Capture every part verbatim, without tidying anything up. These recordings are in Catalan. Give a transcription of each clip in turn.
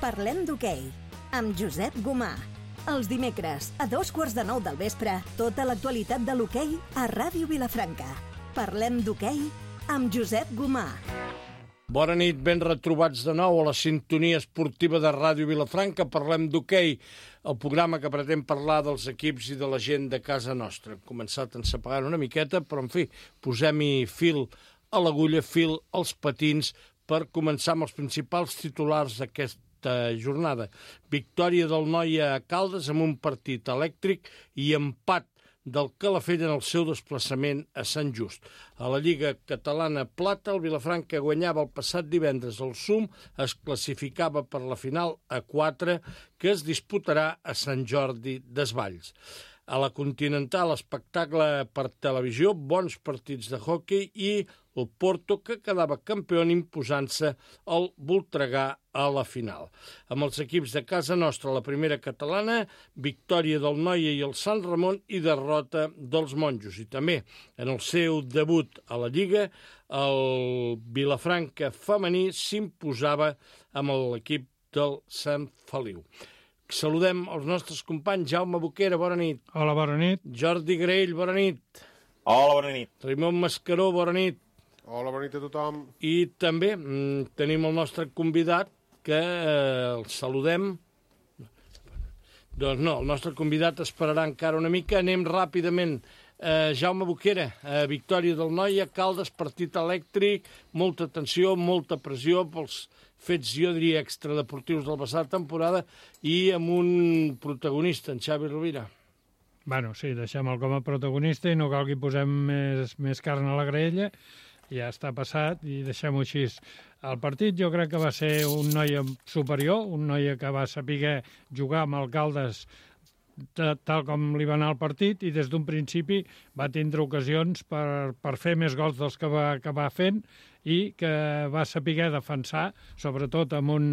Parlem d'hoquei, amb Josep Gomà. Els dimecres, a dos quarts de nou del vespre, tota l'actualitat de l'hoquei a Ràdio Vilafranca. Parlem d'hoquei amb Josep Gomà. Bona nit, ben retrobats de nou a la sintonia esportiva de Ràdio Vilafranca. Parlem d'hoquei, el programa que pretén parlar dels equips i de la gent de casa nostra. Hem començat ensepegant una miqueta, però en fi, posem-hi fil a l'agulla, fil als patins, per començar amb els principals titulars d'aquesta jornada. Victòria del Noia a Caldes amb un partit elèctric i empat del Calafell en el seu desplaçament a Sant Just. A la Lliga Catalana Plata, el Vilafranca guanyava el passat divendres el Sum, es classificava per la final a quatre, que es disputarà a Sant Jordi Desvalls. A la Continental, espectacle per televisió, bons partits de hoquei i el Porto, que quedava campió imposant-se el Voltregà a la final. Amb els equips de casa nostra, la primera catalana, victòria del Noia i el Sant Ramon i derrota dels Monjos. I també, en el seu debut a la Lliga, el Vilafranca femení s'imposava amb l'equip del Sant Feliu. Saludem els nostres companys. Jaume Boquera, bona nit. Hola, bona nit. Jordi Graell, bona nit. Hola, bona nit. Raimon Mascaró, bona nit. Hola, bona nit a tothom. I també mm, tenim el nostre convidat, que eh, el saludem. Doncs no, el nostre convidat esperarà encara una mica. Anem ràpidament. Eh, Jaume Boquera, eh, victòria del Noia, Caldes, partit elèctric, molta tensió, molta pressió pels fets, jo diria, extradeportius de la passada temporada i amb un protagonista, en Xavi Rovira. Bueno, sí, deixem-el com a protagonista i no cal que hi posem més, més carn a la graella. Ja està passat i deixem-ho així. El partit jo crec que va ser un Noia superior, un Noia que va saber jugar amb el Caldes tal com li va anar el partit i des d'un principi va tindre ocasions per, per fer més gols dels que va acabar fent i que va saber defensar, sobretot amb un,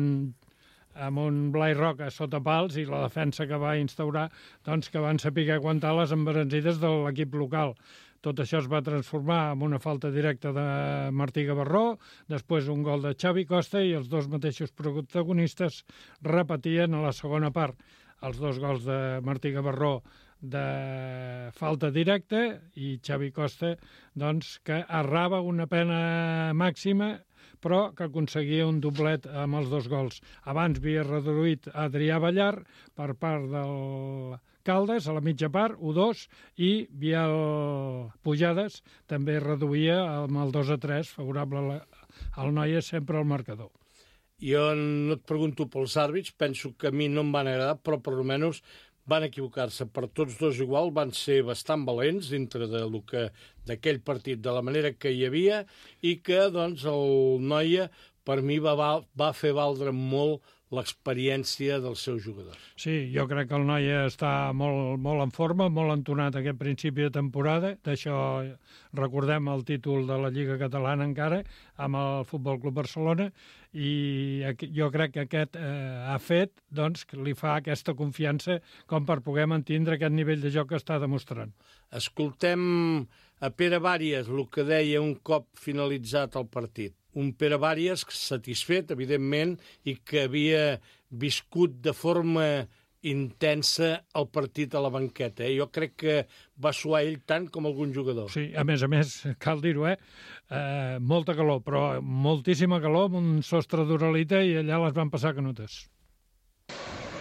amb un Blai Roca sota pals i la defensa que va instaurar, doncs que van saber aguantar les embranzides de l'equip local. Tot això es va transformar en una falta directa de Martí Gavarró, després un gol de Xavi Costa i els dos mateixos protagonistes repetien a la segona part. Els dos gols de Martí Gavarró de falta directa i Xavi Costa, doncs, que errava una pena màxima, però que aconseguia un doblet amb els dos gols. Abans havia reduït Adrià Ballar per part del Caldes, a la mitja part, u dos, i Biel Pujades també reduïa amb el dos a tres, favorable al Noia, sempre al marcador. Jo no et pregunto pels àrbits, penso que a mi no em van agradar, però per almenys van equivocar-se per tots dos igual, van ser bastant valents dintre de lo que d'aquell partit, de la manera que hi havia, i que doncs el Noia per mi va, va fer valdre molt l'experiència dels seus jugadors. Sí, jo crec que el Noia està molt, molt en forma, molt entonat aquest principi de temporada. D'això recordem el títol de la Lliga Catalana encara, amb el Futbol Club Barcelona, i jo crec que aquest eh, ha fet doncs, que li fa aquesta confiança com per poder mantindre aquest nivell de joc que està demostrant. Escoltem a Pere Bàries, el que deia un cop finalitzat el partit. Un Pere Bàries satisfet, evidentment, i que havia viscut de forma intensa el partit a la banqueta. Eh? Jo crec que va suar ell tant com algun jugador. Sí, a més a més, cal dir-ho, eh? eh? Molta calor, però moltíssima calor, amb un sostre d'uralita, i allà les van passar canutes.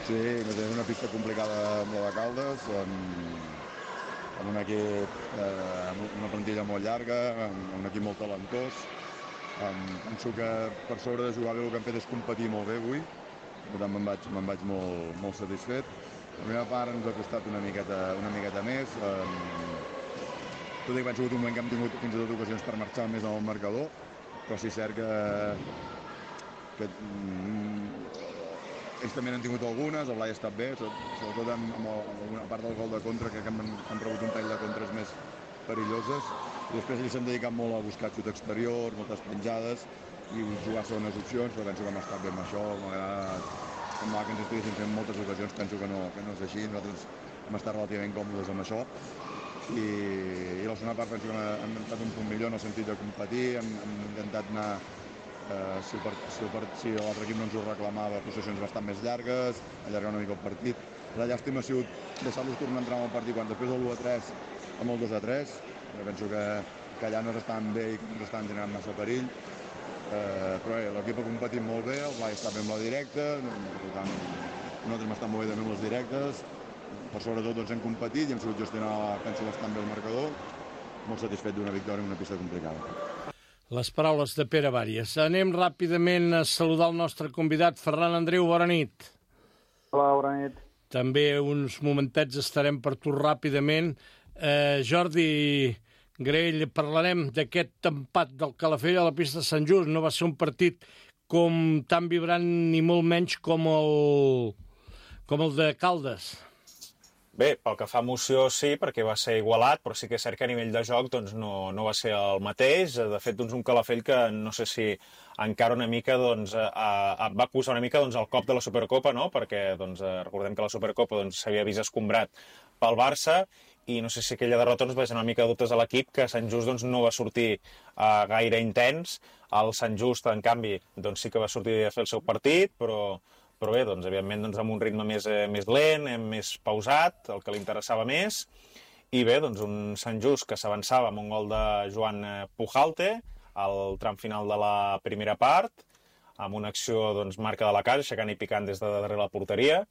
Sí, una pista complicada amb la de Caldes, amb, amb un equip, eh, amb una plantilla molt llarga, amb un equip molt talentós. Um, penso que per sobre de jugar bé el que han fet és competir molt bé avui, per tant me'n vaig, me'n vaig molt, molt satisfet. La primera part ens ha costat una miqueta, una miqueta més, um, tot i que penso que un moment que hem tingut fins i tot ocasions per marxar més al marcador, però sí és cert que, que um, ells també n'han tingut algunes, el Blai ha estat bé, sobretot amb, amb, el, amb una part del gol de contra, que han, han rebut un tall de contres més perilloses. I després ells s'han dedicat molt a buscar xut exterior, moltes penjades i jugar segones opcions, però penso que hem estat bé amb això. M'agrada que ens estiguessin fent moltes ocasions, penso que no, que no és així. Nosaltres hem estat relativament còmodes amb això. I, i la segona part penso que hem estat un punt millor en el sentit de competir, hem, hem intentat anar Eh, si el part- si el part- si l'altre equip no ens ho reclamava, possessions bastant més llargues, allargar una mica el partit. La llàstima ha sigut deixar-los tornar a entrar en el partit quan després del u a tres amb el dos a tres. Jo penso que, que allà no s'estan bé i que no s'estan generant massa perill. Eh, però bé, l'equip ha competit molt bé, el Blai està bé amb la directa, per tant, nosaltres hem estat molt bé també amb les directes. Per sobretot doncs, hem competit i hem sabut gestionar, penso, bastant bé el marcador. Molt satisfet d'una victòria en una pista complicada. Les paraules de Pere Bàries. Anem ràpidament a saludar el nostre convidat, Ferran Andreu, bona nit. Hola, bona nit. També uns momentets estarem per tu ràpidament. Eh, Jordi Graell, parlarem d'aquest empat del Calafell a la pista de Sant Just. No va ser un partit com tan vibrant ni molt menys com el, com el de Caldes. Bé, pel que fa a emoció sí, perquè va ser igualat, però sí que és cert que a nivell de joc doncs, no, no va ser el mateix. De fet, doncs, un Calafell que no sé si encara una mica doncs, a, a, va acusar una mica doncs, el cop de la Supercopa, no? Perquè doncs, recordem que la Supercopa doncs, s'havia vist escombrat pel Barça i no sé si aquella derrota doncs, va ser una mica de dubtes a l'equip, que Sant Just doncs, no va sortir uh, gaire intens. El Sant Just, en canvi, doncs, sí que va sortir a fer el seu partit, però... Però bé, doncs, evidentment, doncs, amb un ritme més, eh, més lent, eh, més pausat, el que li interessava més. I bé, doncs, un Sant Just que s'avançava amb un gol de Joan Pujalte al tram final de la primera part, amb una acció doncs, marca de la casa, aixecant i picant des de darrere la porteria.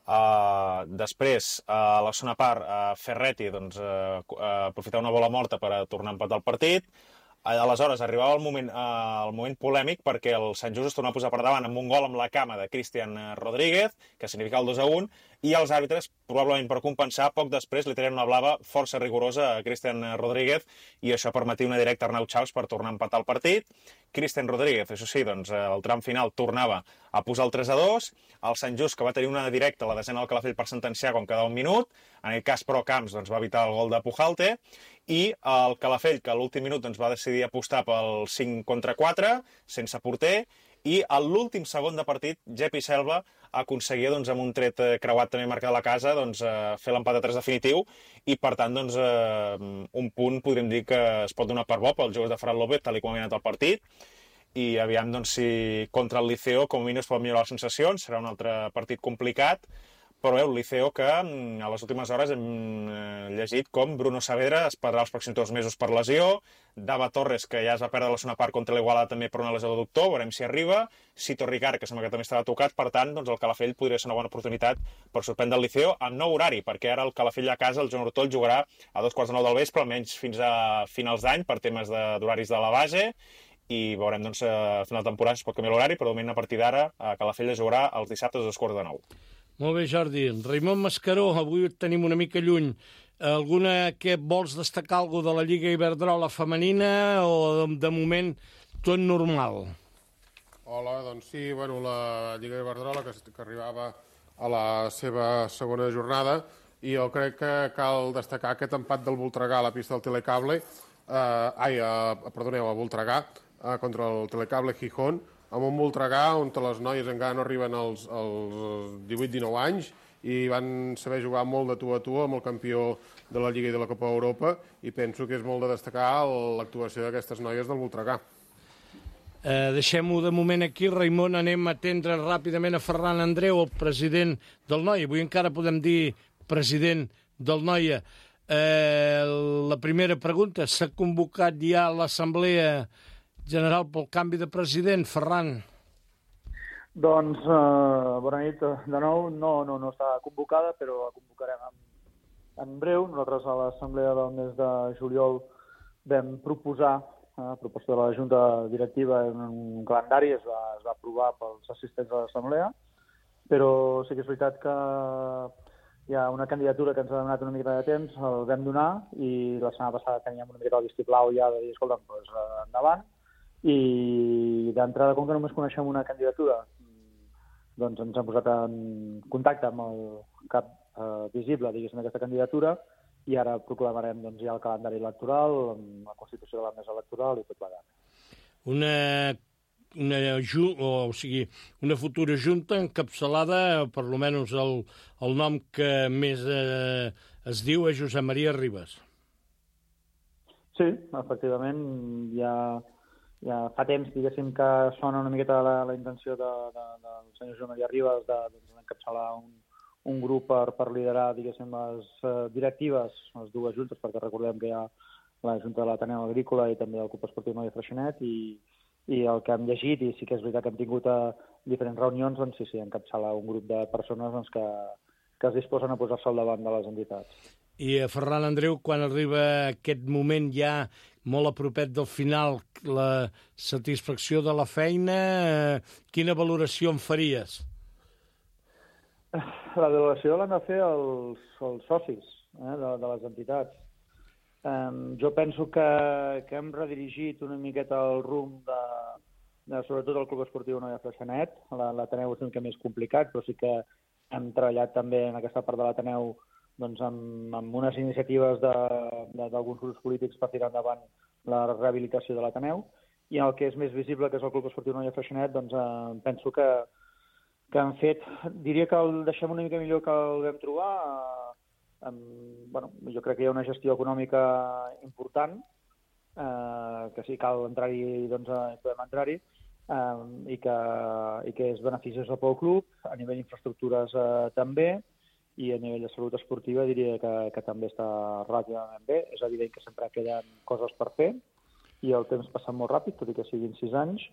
Uh, després, uh, a la segona part, uh, Ferretti doncs, uh, uh, aprofitar una bola morta per a tornar a empatar el partit. Aleshores, arribava el moment, eh, el moment polèmic perquè el Sant Just es tornava a posar per davant amb un gol amb la cama de Cristian Rodríguez, que significava el dos a un, i els àrbitres, probablement per compensar, poc després li treien una blava força rigorosa a Cristian Rodríguez i això permetia una directa a Arnau Chaus per tornar a empatar el partit. Cristian Rodríguez, això sí, doncs, el tram final tornava a posar el tres a dos, el Sant Just, que va tenir una directa a la desena del Calafell per sentenciar quan quedava un minut, en aquest cas, però, Camps doncs, va evitar el gol de Pujalte, i el Calafell, que a l'últim minut doncs, va decidir apostar pel cinc contra quatre, sense porter, i a l'últim segon de partit, Jepi Selva aconseguia, doncs, amb un tret creuat també marcat a la casa, doncs, fer l'empat a tres definitiu, i per tant, doncs, un punt podríem dir que es pot donar per bo pels jugadors de Ferran López, tal com ha anat el partit, i aviam doncs, si contra el Liceo com a mínim es pot millorar les sensacions, serà un altre partit complicat, però bé, el Liceo que a les últimes hores hem llegit com Bruno Saavedra es perdrà els pròxims dos mesos per lesió, Dava Torres, que ja es va perdre la segona part contra l'Igualada també per una lesió de doctor, veurem si arriba, Sito Ricard, que sembla que també estava tocat, per tant, doncs el Calafell podria ser una bona oportunitat per sorprendre el Liceo amb nou horari, perquè ara el Calafell a casa, el Joan Hortol, jugarà a dos quarts de nou del vespre, almenys fins a finals d'any, per temes d'horaris de, de la base, i veurem, doncs, a final de temporada es pot canviar l'horari, però de moment a partir d'ara a Calafell es jugarà els dissabtes a dos quarts de nou. Molt bé, Jordi. Raimon Mascaró, avui et tenim una mica lluny. Alguna que vols destacar alguna de la Lliga Iberdrola femenina o de, de moment tot normal? Hola, doncs sí, bueno, la Lliga Iberdrola que, que arribava a la seva segona jornada i jo crec que cal destacar aquest empat del Voltregà a la pista del Telecable, eh, ai, eh, perdoneu, a Voltregà, eh, contra el Telecable Gijón, amb un Voltregà on les noies encara no arriben als, als divuit dinou anys i van saber jugar molt de tu a tu amb el campió de la Lliga i de la Copa Europa i penso que és molt de destacar l'actuació d'aquestes noies del Voltregà. Eh, Deixem-ho de moment aquí, Raimon, anem a atendre ràpidament a Ferran Andreu, el president del Noia. Avui encara podem dir president del Noia. Eh, la primera pregunta, s'ha convocat ja l'Assemblea General pel canvi de president, Ferran? Doncs, eh, bona nit de nou. No, no, no està convocada, però la convocarem en, en breu. Nosaltres a l'assemblea del mes de juliol vam proposar, a eh, proposta de la Junta Directiva, un, un calendari, es va, es va aprovar pels assistents de l'assemblea, però sí que és veritat que hi ha una candidatura que ens ha donat una mica de temps, el vam donar, i la setmana passada teníem una mica el vistiplau ja de dir, escolta, doncs endavant, i d'entrada, com que només coneixem una candidatura, doncs ens hem posat en contacte amb el cap eh, visible, diguéssim, d'aquesta candidatura, i ara proclamarem doncs, ja el calendari electoral, amb la constitució de la mesa electoral i tot plegat. Una, una, o, o sigui, una futura junta encapçalada, per almenys el, el nom que més eh, es diu és Josep Maria Ribas. Sí, efectivament, hi ha, ja fa temps, diguéssim, que sona una miqueta la, la intenció de, de, del senyor Joan Maria Ribas de, doncs, encapçalar un, un grup per, per liderar, diguéssim, les uh, directives, les dues juntes, perquè recordem que hi ha la Junta de l'Ateneu Agrícola i també el Club Esportiu Noia Freixenet, i, i el que hem llegit, i sí que és veritat que hem tingut a diferents reunions, doncs sí, sí, encapçalar un grup de persones doncs, que, que es disposen a posar-se al davant de les entitats. I a Ferran Andreu, quan arriba aquest moment ja molt a propet del final, la satisfacció de la feina, eh, quina valoració en faries? La valoració l'han de fer els, els socis eh, de, de les entitats. Um, jo penso que, que hem redirigit una miqueta el rumb de, de sobretot el Club Esportiu Noia Freixenet. L'Ateneu és una mica més complicat, però sí que hem treballat també en aquesta part de l'Ateneu doncs, amb, amb unes iniciatives d'alguns grups polítics per tirar endavant la rehabilitació de l'Ateneu. I el que és més visible, que és el Club Esportiu Noia Freixenet, doncs eh, penso que, que han fet... Diria que el deixem una mica millor que el vam trobar. Eh, amb, bueno, jo crec que hi ha una gestió econòmica important, eh, que sí, cal entrar-hi, doncs eh, podem entrar-hi, eh, i, que, i que és beneficiosa pel club, a nivell d'infraestructures eh, també, i a nivell de salut esportiva diria que, que també està relativament bé. És evident que sempre queden coses per fer, i el temps passa molt ràpid, tot i que siguin sis anys,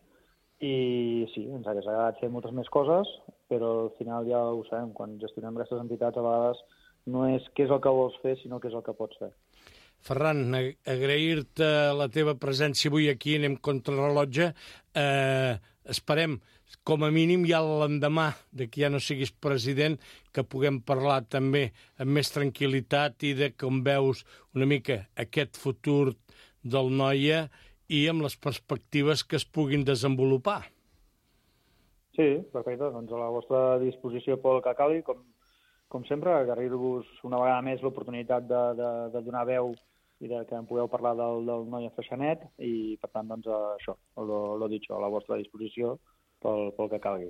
i sí, ens hauria agradat fer moltes més coses, però al final ja ho sabem, quan gestionem aquestes entitats a vegades no és què és el que vols fer, sinó què és el que pots fer. Ferran, agrair-te la teva presència avui aquí, anem contra rellotge. Eh, esperem, com a mínim, ja l'endemà de que ja no siguis president, que puguem parlar també amb més tranquil·litat i de com veus una mica aquest futur del Noia i amb les perspectives que es puguin desenvolupar. Sí, perfecte. Doncs a la vostra disposició pel que calgui, com Com sempre, agrair-vos una vegada més l'oportunitat de, de, de donar veu i de que en pugueu parlar del, del Noia Freixenet, i, per tant, doncs, això, lo, lo dicho, a la vostra disposició pel, pel que calgui.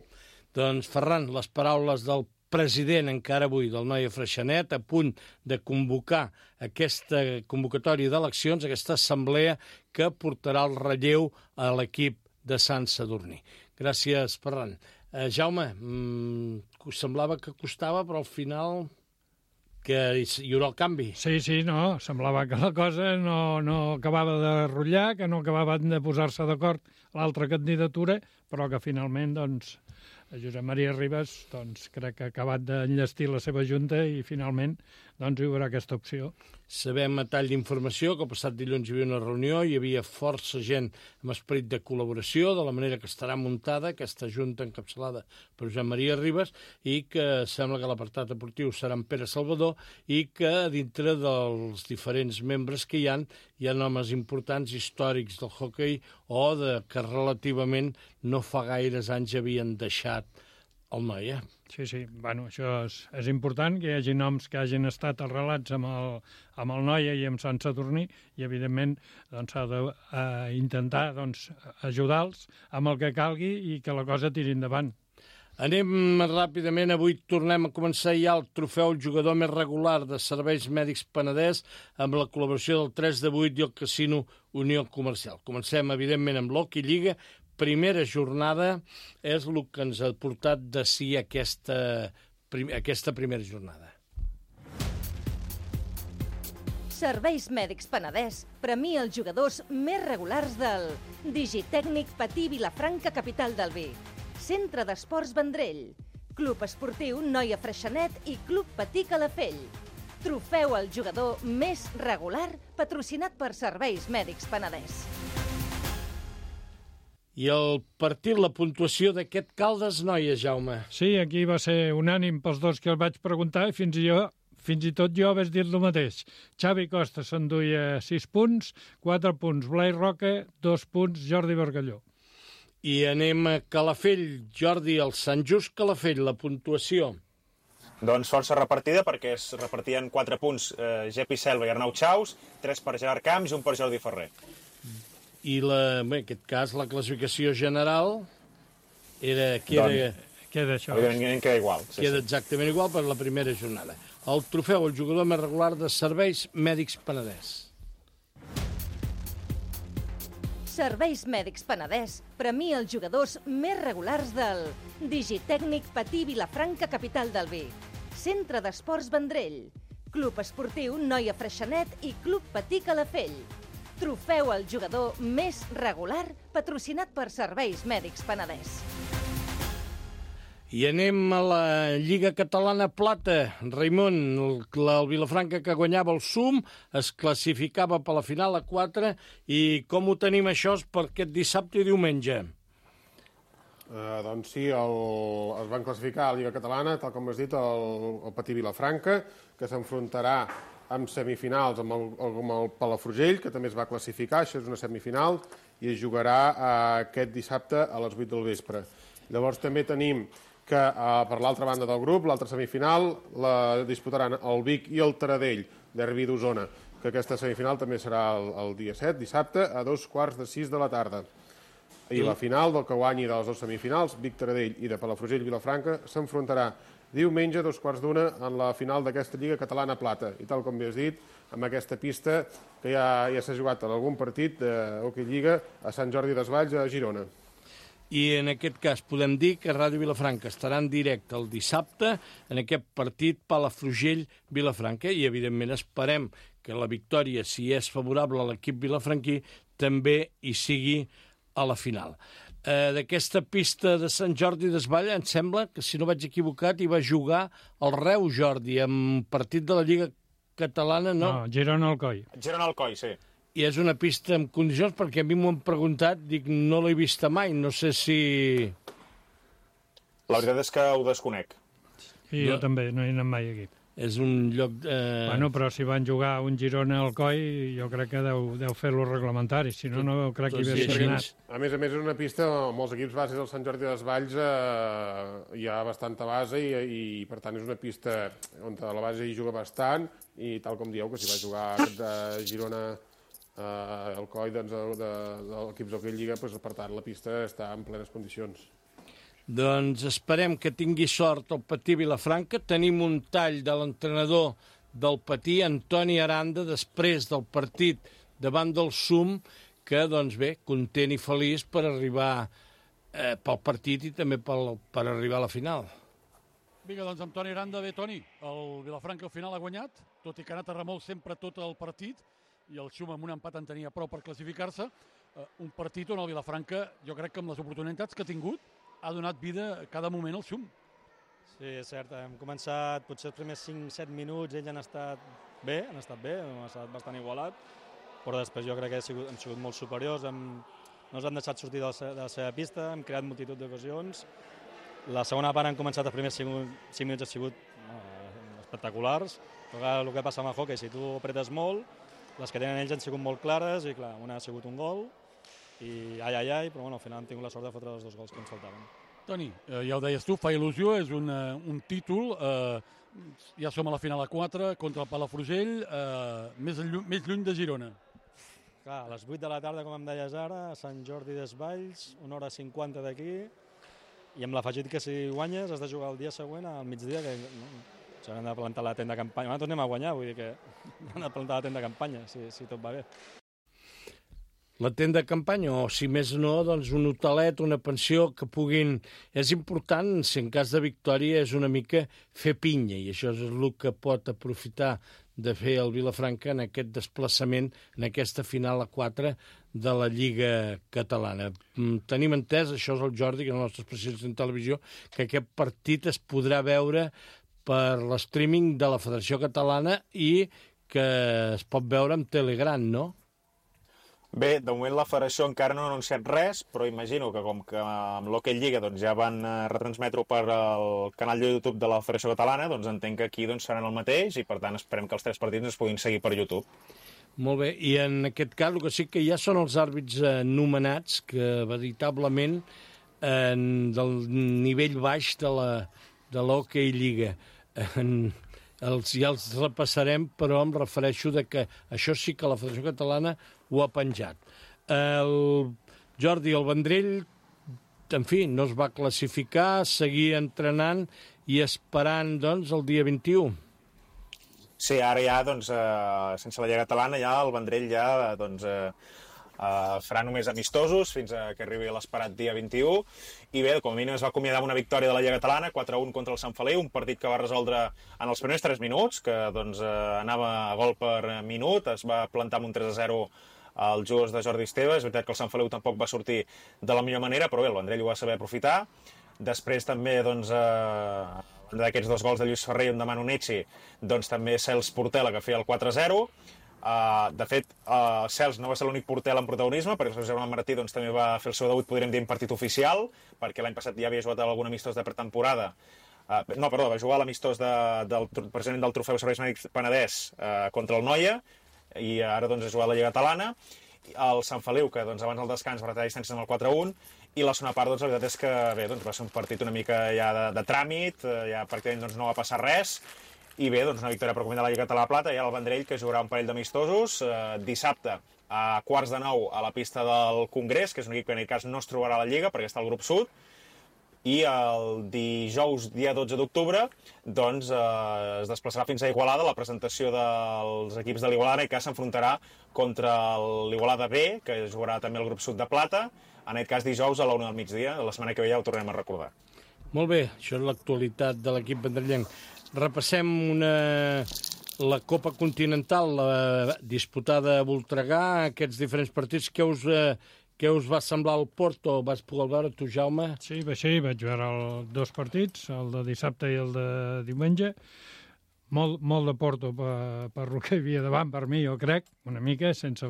Doncs, Ferran, les paraules del president encara avui del Noia Freixenet, a punt de convocar aquesta convocatòria d'eleccions, aquesta assemblea que portarà el relleu a l'equip de Sant Sadurní. Gràcies, Ferran. Uh, Jaume, mm, semblava que costava, però al final que hi haurà el canvi. Sí, sí, no, semblava que la cosa no, no acabava de rotllar, que no acabaven de posar-se d'acord l'altra candidatura, però que finalment, doncs, Josep Maria Ribas, doncs, crec que ha acabat d'enllestir la seva junta i finalment, doncs, hi haurà aquesta opció. Sabem a tall d'informació que el passat dilluns hi havia una reunió, hi havia força gent amb esperit de col·laboració, de la manera que estarà muntada aquesta junta encapçalada per Josep Maria Ribas, i que sembla que l'apartat deportiu serà en Pere Salvador, i que dintre dels diferents membres que hi ha, hi ha homes importants històrics del hoquei o de que relativament no fa gaires anys havien deixat el Noia. Sí, sí, bueno, això és, és important, que hi hagi noms que hagin estat arrelats amb el, amb el Noia i amb Sant Sadurní, i evidentment doncs, s'ha d'intentar eh, doncs, ajudar-los amb el que calgui i que la cosa tiri endavant. Anem ràpidament, avui tornem a començar ja el trofeu jugador més regular de Serveis Mèdics Penedès amb la col·laboració del tres de vuit i el Casino Unió Comercial. Comencem, evidentment, amb l'Hockey Lliga. Primera jornada és el que ens ha portat de si aquesta, prim, aquesta primera jornada. Serveis Mèdics Penedès premia els jugadors més regulars del Digitècnic Patí Vilafranca, capital del vi, Centre d'Esports Vendrell, Club Esportiu Noia Freixenet i Club Patí Calafell. Trofeu al jugador més regular patrocinat per Serveis Mèdics Penedès. I el partit, la puntuació d'aquest Caldes Noia, Jaume. Sí, aquí va ser unànim pels dos que el vaig preguntar i fins i, jo, fins i tot jo vaig dir el mateix. Xavi Costa s'enduia sis punts, quatre punts Blai Roca, dos punts Jordi Bargalló. I anem a Calafell. Jordi, el Sant Just Calafell, la puntuació. Doncs força repartida, perquè es repartien quatre punts eh, Gepi Selva i Arnau Chaus, tres per Gerard Camps i un per Jordi Ferrer. I la, bé, en aquest cas la classificació general era, queda, doncs, queda, això. Evidentment queda igual. Sí, queda sí. exactament igual per la primera jornada. El trofeu, el jugador més regular de Serveis Mèdics Penedès. Serveis Mèdics Penedès premia els jugadors més regulars del Digitècnic Patí Vilafranca, capital del vi. Centre d'Esports Vendrell. Club Esportiu Noia Freixenet i Club Patí Calafell. Trofeu al jugador més regular patrocinat per Serveis Mèdics Penedès. I anem a la Lliga Catalana Plata. Raimon, el, el Vilafranca que guanyava el Sum, es classificava per la final a quatre. I com ho tenim això per aquest dissabte i diumenge? Uh, doncs sí, el, es van classificar a la Lliga Catalana, tal com has dit, el, el Patí Vilafranca, que s'enfrontarà amb semifinals amb el, amb el Palafrugell, que també es va classificar, això és una semifinal, i es jugarà uh, aquest dissabte a les vuit del vespre. Llavors també tenim que uh, per l'altra banda del grup, l'altra semifinal, la disputaran el Vic i el Taradell, derbi d'Osona, que aquesta semifinal també serà el, el dia set, dissabte, a dos quarts de sis de la tarda. I la final del que guanyi de les dues semifinals, Vic Taradell i de Palafrugell-Vilafranca, s'enfrontarà diumenge a dos quarts d'una en la final d'aquesta Lliga Catalana Plata. I tal com bé has dit, amb aquesta pista que ja, ja s'ha jugat en algun partit d'Hockey Lliga a Sant Jordi Desvalls, a Girona. I en aquest cas podem dir que Ràdio Vilafranca estarà en directe el dissabte en aquest partit Palafrugell-Vilafranca i, evidentment, esperem que la victòria, si és favorable a l'equip vilafranquí, també hi sigui a la final. Eh, D'aquesta pista de Sant Jordi Desvalls, em sembla que, si no vaig equivocat, hi va jugar el Reu, Jordi, en partit de la Lliga Catalana, no? No, Girona-Alcoi. Girona-Alcoi, sí. I és una pista en condicions, perquè a mi m'ho han preguntat, dic, no l'he vista mai, no sé si... La veritat és que ho desconec. I jo no. també, no he anat mai aquí. És un lloc... Eh... Bueno, però si van jugar un Girona-Alcoi, jo crec que deu, deu fer-lo reglamentari, si no, no crec que hi hagués anat. A més a més, és una pista amb molts equips bases del Sant Jordi Desvalls, eh, hi ha bastanta base i, i, per tant, és una pista on la base hi juga bastant i, tal com dieu, que si va jugar aquest de Girona... Uh, el coi doncs, de, de, de l'equip d'Hockey Lliga, doncs, per tant, la pista està en plenes condicions. Doncs esperem que tingui sort el Patí Vilafranca. Tenim un tall de l'entrenador del Patí, Antoni Aranda, després del partit davant del Sum, que, doncs bé, content i feliç per arribar eh, pel partit i també pel, per arribar a la final. Vinga, doncs amb Toni Aranda, bé, Toni, el Vilafranca al final ha guanyat, tot i que ha anat a remolc sempre tot el partit, i el Xum amb un empat en tenia prou per classificar-se. Uh, un partit on el Vilafranca, jo crec que amb les oportunitats que ha tingut, ha donat vida a cada moment al Xum. Sí, és cert. Hem començat, potser els primers cinc set minuts, ells han estat bé, han estat bé, han estat bastant igualat, però després jo crec que hem sigut, hem sigut molt superiors, hem, no ens han deixat sortir de la, de la seva pista, hem creat multitud d'ocasions. La segona part han començat els primers cinc, cinc minuts, han sigut uh, espectaculars, però el que passa amb el hockey, si tu apretes molt, les que tenen ells han sigut molt clares i, clar, una ha sigut un gol i ai, ai, ai, però bueno, al final hem tingut la sort de fotre els dos gols que ens faltaven. Toni, eh, ja ho deies tu, fa il·lusió, és un, uh, un títol, eh, ja som a la final a quatre contra el Palafrugell, eh, més, lluny, més lluny de Girona. Clar, a les vuit de la tarda, com em deies ara, a Sant Jordi Desvalls, una hora cinquanta d'aquí, i amb l'afegit que si guanyes has de jugar el dia següent al migdia, que no, s'han de plantar la tenda de campanya. Nosaltres anem a guanyar, vull dir que han de plantar la tenda de campanya, si, si tot va bé. La tenda de campanya, o si més no, doncs un hotelet, una pensió que puguin... És important, si en cas de victòria, és una mica fer pinya, i això és el que pot aprofitar de fer el Vilafranca en aquest desplaçament, en aquesta final a quatre de la Lliga Catalana. Tenim entès, això és el Jordi, que és el nostre especialista en televisió, que aquest partit es podrà veure per l'streaming de la Federació Catalana i que es pot veure amb Telegran, no? Bé, de moment la Federació encara no ha anunciat res, però imagino que com que amb l'Hockey Lliga doncs, ja van retransmetre per el canal de YouTube de la Federació Catalana, doncs entenc que aquí doncs, seran el mateix i per tant esperem que els tres partits es puguin seguir per YouTube. Molt bé, i en aquest cas el que sí que ja són els àrbits eh, nomenats que veritablement eh, del nivell baix de la de l'Hockey Lliga. En, els, ja els repassarem, però em refereixo de que això sí que la Federació Catalana ho ha penjat. El Jordi, el Vendrell, en fi, no es va classificar, seguir entrenant i esperant, doncs, el dia vint-i-u. Sí, ara ja, doncs, eh, sense la Lliga Catalana, ja el Vendrell ja, doncs, eh, Uh, farà només amistosos fins a que arribi l'esperat dia vint-i-u, i bé, com a mínim es va acomiadar amb una victòria de la Lliga Catalana, quatre a un contra el Sant Feliu, un partit que va resoldre en els primers tres minuts, que doncs, uh, anava a gol per minut, es va plantar amb un tres a zero als jugadors de Jordi Esteve. És veritat que el Sant Feliu tampoc va sortir de la millor manera, però bé, el Vendrell ho va saber aprofitar. Després també, doncs, eh, d'aquests dos gols de Lluís Ferrer i un de Manu Necci, doncs també Cels Portela, que feia el quatre a zero. Uh, de fet, uh, Cels no va ser l'únic Portela en protagonisme, perquè el seu germà Martí doncs, també va fer el seu debut, podríem dir, en partit oficial, perquè l'any passat ja havia jugat algun amistós de pretemporada. Uh, no, perdó, va jugar a l'amistós de, del president del Trofeu Serveis Mèdics Penedès uh, contra el Noia, i ara doncs, ha jugat a la Lliga Catalana. El Sant Feliu, que doncs, abans del descans va retallar distàncies amb el quatre a un, i la segona part, doncs, la veritat és que bé, doncs, va ser un partit una mica ja de, de tràmit, ja pràcticament doncs, no va passar res, i bé, doncs, una victòria per comentar la Lliga Catalana Plata, i ara el Vendrell, que jugarà un parell d'amistosos eh, dissabte a quarts de nou a la pista del Congrés, que és un equip que en aquest cas no es trobarà a la Lliga perquè està al grup sud, i el dijous, dia dotze d'octubre, doncs eh, es desplaçarà fins a Igualada la presentació dels equips de l'Igualada, en aquest cas s'enfrontarà contra l'Igualada B, que jugarà també al grup sud de Plata, en aquest cas dijous a la una del migdia, la setmana que ve ja ho tornem a recordar. Molt bé, això és l'actualitat de l'equip vendrellenc. Repassem una... la Copa Continental, la disputada a Voltregà, aquests diferents partits. Què us, eh, què us va semblar el Porto? Vas poder veure tu, Jaume? Sí, va ser, vaig veure els dos partits, el de dissabte i el de diumenge. Molt, molt de Porto per, per el que hi havia davant, per mi, jo crec, una mica, sense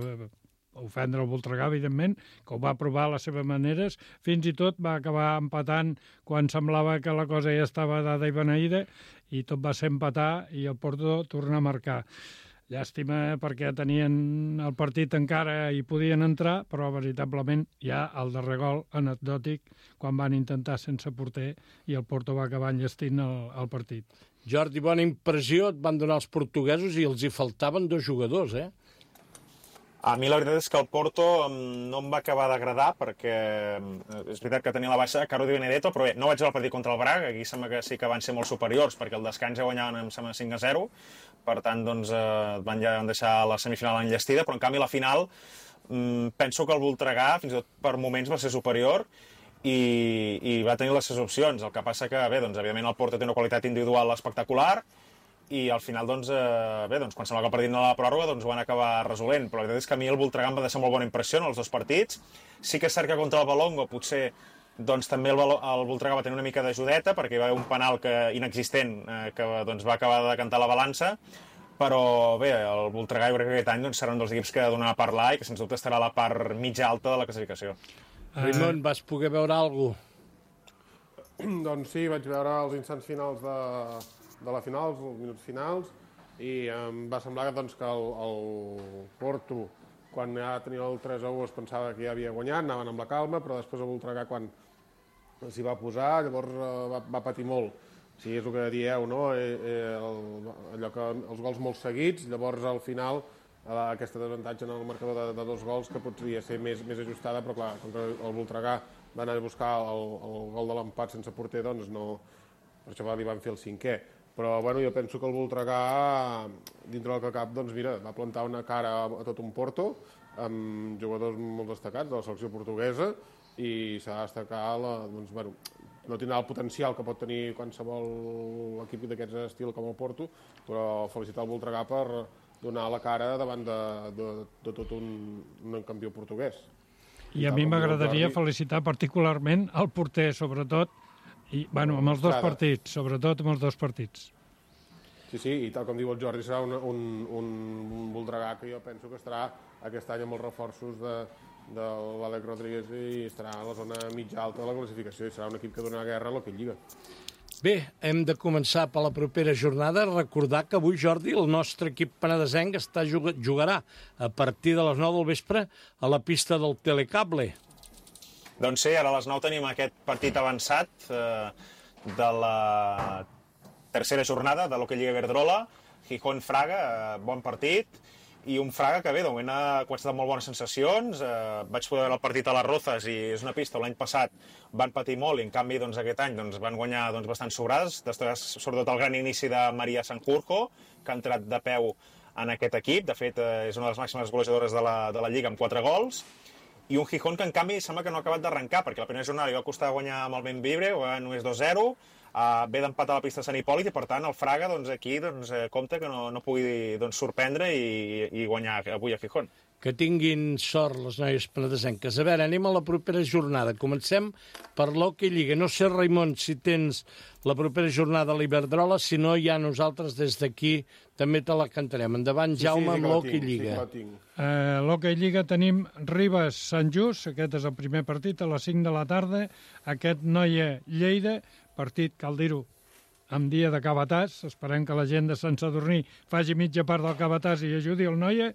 ofendre el Voltregà, evidentment, que ho va provar a les seves maneres. Fins i tot va acabar empatant quan semblava que la cosa ja estava dada i beneïda, i tot va ser empatar i el Porto tornar a marcar. Llàstima perquè tenien el partit encara i podien entrar, però veritablement ja el darrer gol anecdòtic quan van intentar sense porter i el Porto va acabar enllestint el, el partit. Jordi, bona impressió et van donar els portuguesos i els hi faltaven dos jugadors, eh? A mi la veritat és que el Porto no em va acabar d'agradar perquè és veritat que tenia la baixa Caro Di Benedetto, però bé, no vaig veure el partit contra el Braga, aquí sembla que sí que van ser molt superiors perquè el descans ja guanyaven, em sembla, cinc a zero, per tant, doncs, eh, van ja deixar la semifinal enllestida, però en canvi la final mm, penso que el Voltregà fins i tot per moments va ser superior i, i va tenir les seves opcions. El que passa que, bé, doncs, evidentment el Porto té una qualitat individual espectacular, i al final, doncs, eh, bé, doncs, quan semblava que el partit no la pròrroga, doncs ho van acabar resolent. Però la veritat és que a mi el Voltregà em va deixar molt bona impressió en els dos partits. Sí que és cert que contra el Valongo potser doncs, també el, el Voltregà va tenir una mica d'ajudeta, perquè hi va haver un penal que, inexistent eh, que doncs, va acabar de cantar la balança. Però bé, el Voltregà jo crec que aquest any doncs, serà un dels equips que donarà a parlar i que sens dubte estarà a la part mitja alta de la classificació. Uh... Raimon, vas poder veure alguna cosa? Doncs sí, vaig veure els instants finals de... de la final, els minuts finals, i em va semblar doncs, que el, el Porto, quan ja tenia el tres a u, es pensava que ja havia guanyat, anaven amb la calma, però després el Voltregà, quan s'hi va posar, llavors va, va patir molt. Sí, és el que dieu, no? Eh, eh, el, allò que els gols molt seguits, llavors al final eh, aquesta desavantatge en el marcador de, de dos gols que podria ser més, més ajustada, però clar, com que el Voltregà va anar a buscar el, el gol de l'empat sense porter, doncs no, per això li van fer el cinquè. Però bueno, jo penso que el Voltregà, dintre del que cap, doncs mira, va plantar una cara a tot un Porto, amb jugadors molt destacats de la selecció portuguesa, i s'ha de destacar, la, doncs, bueno, no tindrà el potencial que pot tenir qualsevol equip d'aquest estil com el Porto, però felicitar el Voltregà per donar la cara davant de, de, de tot un, un campió portuguès. I a mi m'agradaria felicitar particularment el porter, sobretot, i, bueno, amb els dos partits, sobretot amb els dos partits. Sí, sí, i tal com diu el Jordi, serà un, un, un Voltregà que jo penso que estarà aquest any amb els reforços de, de l'Àlex Rodríguez i estarà a la zona mitja alta de la classificació i serà un equip que donarà guerra a l'Hockey Lliga. Bé, hem de començar per la propera jornada. Recordar que avui, Jordi, el nostre equip penedesenc està, jugarà a partir de les nou del vespre a la pista del Telecable. Doncs sí, ara a les nou tenim aquest partit avançat eh, de la tercera jornada de l'Hockey Lliga Iberdrola, Gijón-Fraga, eh, bon partit, i un Fraga que bé, de moment ha començat amb molt bones sensacions. Eh, vaig poder veure el partit a les Rozas i és una pista on l'any passat van patir molt i en canvi doncs, aquest any doncs, van guanyar doncs, bastant sobrades, després sobretot el gran inici de Maria Sanjurjo, que ha entrat de peu en aquest equip. De fet, eh, és una de les màximes golejadores de la, de la Lliga amb quatre gols. i un Gijón que en canvi sembla que no ha acabat d'arrencar, perquè la primera jornada li va costar guanyar amb el Bembibre, va només dos zero, Uh, ve d'empat a la pista de Sant Hipòlit i per tant el Fraga doncs, aquí doncs, eh, compta que no, no pugui doncs, sorprendre i, i guanyar avui a Gijón. Que tinguin sort les noies penedesenques. A veure, anem a la propera jornada. Comencem per l'Hockey Lliga. No sé, Raimon, si tens la propera jornada a l'Iberdrola, si no, ja nosaltres des d'aquí també te la cantarem. Endavant, sí, Jaume, sí, sí amb l'Hockey Lliga. Sí, uh, l'Hockey Lliga tenim Ribes-Sant Just, aquest és el primer partit a les cinc de la tarda, aquest Noia-Lleida, partit, cal dir-ho, amb dia de cabàtàs. Esperem que la gent de Sant Sadurní faci mitja part del cabàtàs i ajudi el Noia.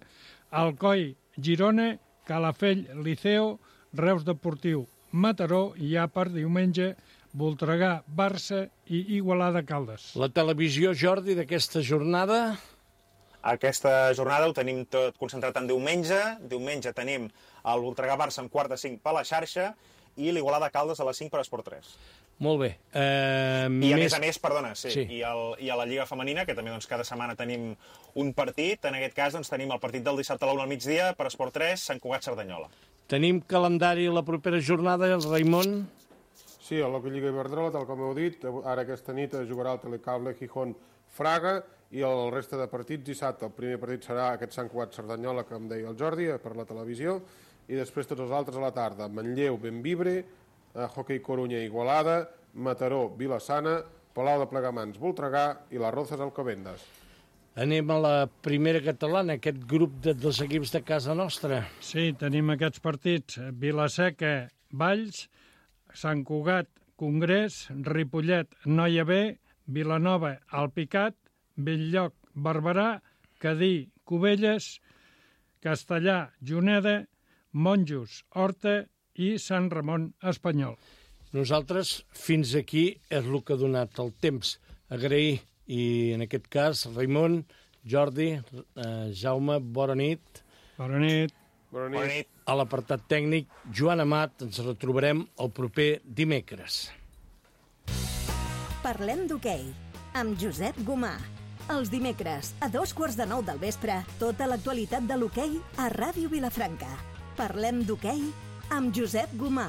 Alcoi, Girona, Calafell, Liceo, Reus Deportiu, Mataró i ja per diumenge Voltregà, Barça i Igualada Caldes. La televisió, Jordi, d'aquesta jornada? Aquesta jornada ho tenim tot concentrat en diumenge. Diumenge tenim el Voltregà-Barça amb quart de cinc per la xarxa i l'Igualada Caldes a les cinc per Esport tres. Molt bé. Eh, I a més... més a més, perdona, sí, sí. I, el, i a la Lliga Femenina, que també doncs, cada setmana tenim un partit, en aquest cas doncs, tenim el partit del dissabte a l'una al migdia per Esport tres, Sant Cugat-Cerdanyola. Tenim calendari la propera jornada, el Raimon? Sí, a l'Hockey Lliga Iberdrola, tal com heu dit, ara aquesta nit jugarà el Telecable Gijón-Fraga i el reste de partits dissabte. El primer partit serà aquest Sant Cugat-Cerdanyola, que em deia el Jordi, per la televisió, i després tots els altres a la tarda. Manlleu, Bembibre, Hockey Corunya, Igualada, Mataró, Vilassana, Palau de Plegamans, Voltregà i les Rozas, Alcobendas. Anem a la primera catalana, aquest grup de, dels equips de casa nostra. Sí, tenim aquests partits. Vilaseca, Valls, Sant Cugat, Congrés, Ripollet, Noia B, Vilanova, Alpicat, Belllloc, Barberà, Cadí, Cubelles, Castellà, Juneda, Monjos, Horta i Sant Ramon Espanyol. Nosaltres, fins aquí, és el que ha donat el temps. Agrair, i en aquest cas, Raimon, Jordi, eh, Jaume, bona nit. Bona nit. Bona nit. Bona nit. A l'apartat tècnic, Joan Amat, ens retrobarem el proper dimecres. Parlem d'hoquei, amb Josep Gomà. Els dimecres, a dos quarts de nou del vespre, tota l'actualitat de l'hoquei a Ràdio Vilafranca. Parlem d'hoquei amb Josep Gomà.